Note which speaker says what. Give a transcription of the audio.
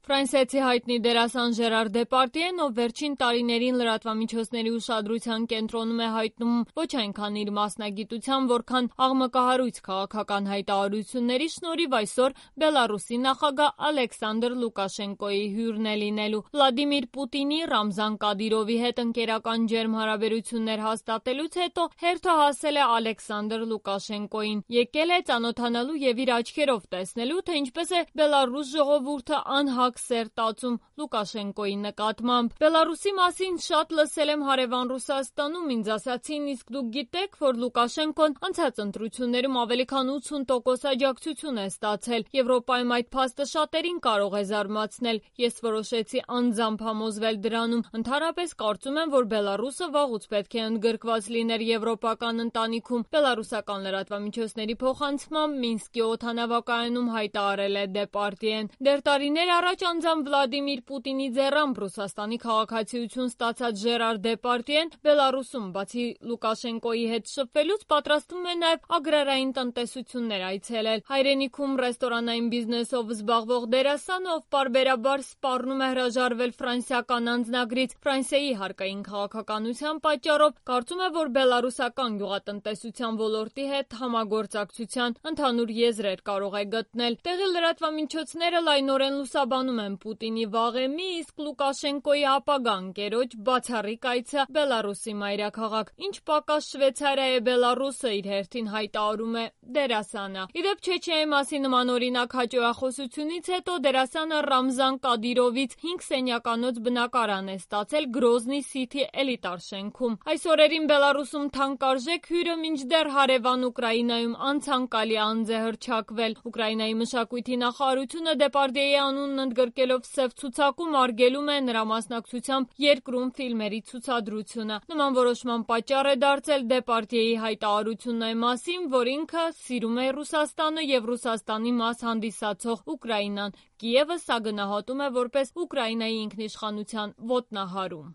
Speaker 1: Ֆրանսիացի հայտնի դերասան Ժերար Դեպարդիեն, ով վերջին տարիներին լրատվամիջոցների ուշադրության կենտրոնում է հայտնում ոչ այնքան իր մասնագիտության, որքան աղմկահարույց քաղաքական հայտարարությունների շնորհիվ այսօր Բելարուսի նախագահ Ալեքսանդր Լուկաշենկոյի հյուրն է լինելու։ Վլադիմիր Պուտինի, Ռամզան Կադիրովի հետ ընկերական ջերմ հարաբերություններ հաստատելուց հետո հերթը հասել է Ալեքսանդր Լուկաշենկոյին։ Եկել է ծանոթանալու եւ իր աչքերով տեսնելու, թե ինչպես է Բելարուս ժողովուրդը անհակ սեր տածում Լուկաշենկոյի նկատմամբ։ Բելարուսի մասին շատ լսել եմ հարևան Ռուսաստանում, ինձ ասացին, իսկ դուք գիտեք, որ Լուկաշենկոն անցած ընտրություններում ավելի քան 80% աջակցություն է ստացել։ Եվրոպայում այդ փաստը շատերին կարող է զարմացնել։ Ես որոշեցի անձամբ համոզվել դրանում։ Ընդհանրապես կարծում եմ, որ Բելարուսը վաղուց պետք է ընդգրկված լիներ եվրոպական ընտանիքում։ Բելարուսական լրատվամիջոցների փոխանցմամբ Մինսկի օդանավակայանում հայտարարել է Դեպարդիեն։ Դեռ տարիներ առաջ անձամբ Վլադիմիր Պուտինի ձեռամբ Ռուսաստանի քաղաքացիություն ստացած Ժերար Դեպարդիեն Բելարուսում բացի Լուկաշենկոյի հետ շփվելուց պատրաստվում է նաև ագրարային տնտեսություններ այցելել։ Հայրենիքում ռեստորանային բիզնեսով զբաղվող դերասանը, ով պարբերաբար սպառնում է հրաժարվել ֆրանսիական անձնագրից Ֆրանսիայի հարկային քաղաքականության պատճառով, կարծում է, որ բելարուսական գյուղատնտեսության ոլորտի հետ համագործակցության ընդհանուր եզրեր կարող է գտնել։ Տեղի լրատվամիջոցները լայնորեն լուսաբանում են Պուտինի վաղեմի, իսկ Լուկաշենկոյի ապագա ընկերոջ բացառիկ այցը Բելարուսի մայրաքաղաք։ Ինչ պակաս Շվեյցարիա է Բելարուսը, իր հերթին հայտարարում է դերասանը։ Իդեպ Չեչնիայի մասին նմանօրինակ հաճոյախոսությունից հետո դերասանը Ռամզան Կադիրովից 5 սենյականոց բնակարան է ստացել Գրոզնի Սիթի էլիտար շենքում։ Այս օրերին Բելարուսում թանկարժեք հյուրը մինչդեռ հարևան Ուկրաինայում անցանկալի անձ է հռչակվել։ Ուկրաինայի մշակույթի նախարարությունը Դեպարդիեի անունն ընդգրկելով սև ցուցակում արգելում է նրա մասնակցությամբ երկրում ֆիլմերի ցուցադրությունը։ Նման որոշման պատճառ է դարձել Դեպարդիեի հայտարարությունն այն մասին, որ ինքը սիրում է Ռուսաստանը եւ Ռուսաստանի մաս հանդիսացող Ուկրաինան։ Կիևը սա գնահատում է որպես Ուկրաինայի ինքնիշխանության ոտնահարում։